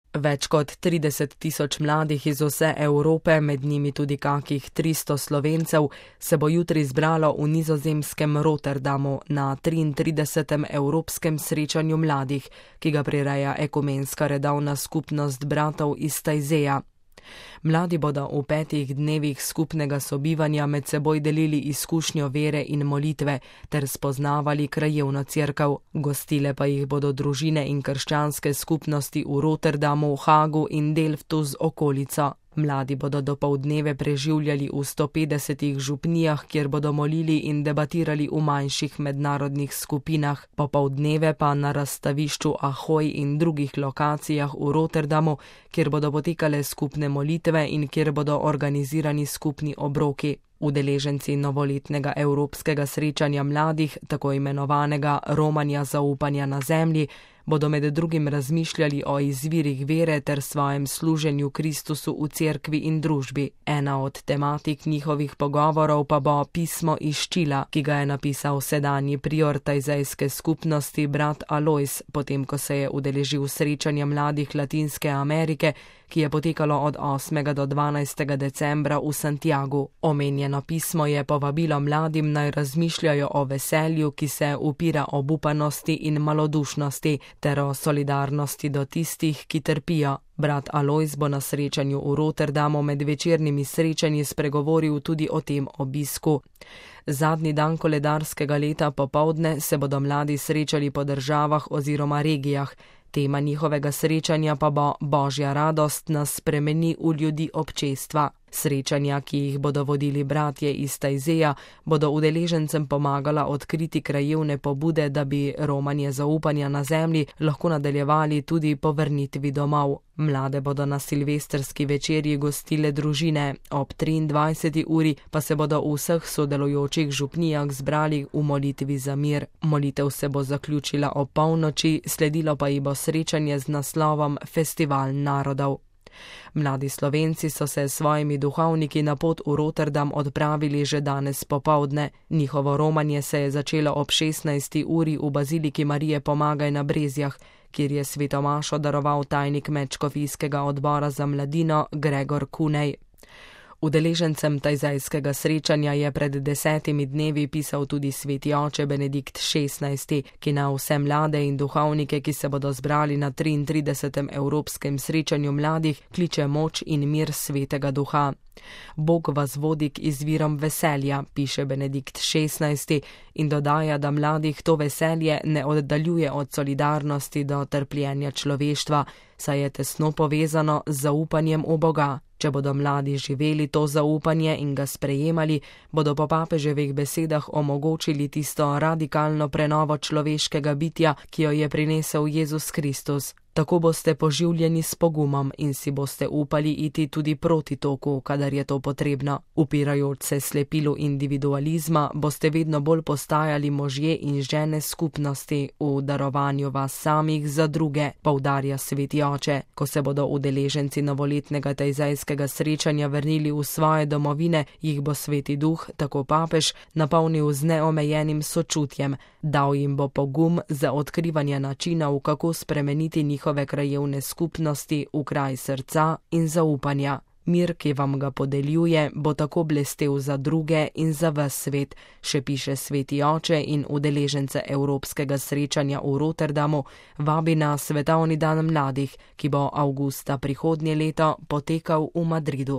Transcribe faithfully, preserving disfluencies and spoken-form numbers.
Več kot trideset tisoč mladih iz vse Evrope, med njimi tudi kakih tristo Slovencev, se bo jutri zbralo v nizozemskem Rotterdamu na triintridesetem Evropskem srečanju mladih, ki ga prireja Ekumenska redovna skupnost bratov iz Tajzeja. Mladi bodo v petih dnevih skupnega sobivanja med seboj delili izkušnjo vere in molitve ter spoznavali krajevno cerkev. Gostile pa jih bodo družine in krščanske skupnosti v Rotterdamu, Hagu in Delftu z okolico. Mladi bodo dopoldneve preživljali v sto petdesetih župnijah, kjer bodo molili in debatirali v manjših mednarodnih skupinah, popoldneve pa na razstavišču Ahoj in drugih lokacijah v Rotterdamu, kjer bodo potekale skupne molitve in kjer bodo organizirani skupni obroki. Udeleženci novoletnega evropskega srečanja mladih, tako imenovanega romanja zaupanja na zemlji, bodo med drugim razmišljali o izvirih vere ter svojem služenju Kristusu v cerkvi in družbi. Ena od tematik njihovih pogovorov pa bo pismo iz Čila, ki ga je napisal sedanji prior tajzejske skupnosti brat Alojz, potem ko se je udeležil srečanja mladih Latinske Amerike, ki je potekalo od osmega do dvanajstega decembra v Santiagu. Omenjeno pismo je povabilo mladim naj razmišljajo o veselju, ki se upira obupanosti in malodušnosti, ter o solidarnosti do tistih, ki trpijo. Brat Alojz bo na srečanju v Rotterdamu med večernimi srečanji spregovoril tudi o tem obisku. Zadnji dan koledarskega leta popoldne se bodo mladi srečali po državah oziroma regijah. Tema njihovega srečanja pa bo Božja radost nas spremeni v ljudi občestva. Srečanja, ki jih bodo vodili bratje iz Tajzeja, bodo udeležencem pomagala odkriti krajevne pobude, da bi romanje zaupanja na zemlji lahko nadaljevali tudi po vrnitvi domov. Mlade bodo na silvestrski večerji gostile družine, ob triindvajseti uri pa se bodo v vseh sodelujočih župnijah zbrali v molitvi za mir. Molitev se bo zaključila ob polnoči, sledilo pa ji bo srečanje z naslovom Festival narodov. Mladi Slovenci so se s svojimi duhovniki na pot v Rotterdam odpravili že danes popoldne. Njihovo romanje se je začelo ob šestnajsti uri v baziliki Marije Pomagaj na Brezjah, kjer je svetomašo daroval tajnik Medškofijskega odbora za mladino Gregor Kunej. Udeležencem tajzejskega srečanja je pred desetimi dnevi pisal tudi sveti oče Benedikt šestnajsti, ki na vse mlade in duhovnike, ki se bodo zbrali na triintridesetem Evropskem srečanju mladih, kliče moč in mir svetega duha. Bog vas vodi k izvirom veselja, piše Benedikt šestnajsti in dodaja, da mladih to veselje ne oddaljuje od solidarnosti do trpljenja človeštva, saj je tesno povezano z zaupanjem v Boga. Če bodo mladi živeli to zaupanje in ga sprejemali, bodo po papeževih besedah omogočili tisto radikalno prenovo človeškega bitja, ki jo je prinesel Jezus Kristus. Tako boste poživljeni s pogumom in si boste upali iti tudi proti toku, kadar je to potrebno. Upirajoč se slepilu individualizma, boste vedno bolj postajali možje in žene skupnosti v darovanju vas samih za druge, poudarja sveti oče. Ko se bodo udeleženci novoletnega tajzejskega srečanja vrnili v svoje domovine, jih bo sveti duh, tako papež, napolnil z neomejenim sočutjem, dal jim bo pogum za odkrivanje načinov, kako spremeniti njihove krajevne skupnosti v kraj srca in zaupanja. Mir, ki vam ga podeljuje, bo tako blestel za druge in za ves svet, še piše sveti oče in udeležence Evropskega srečanja v Rotterdamu vabi na svetovni dan mladih, ki bo avgusta prihodnje leto potekal v Madridu.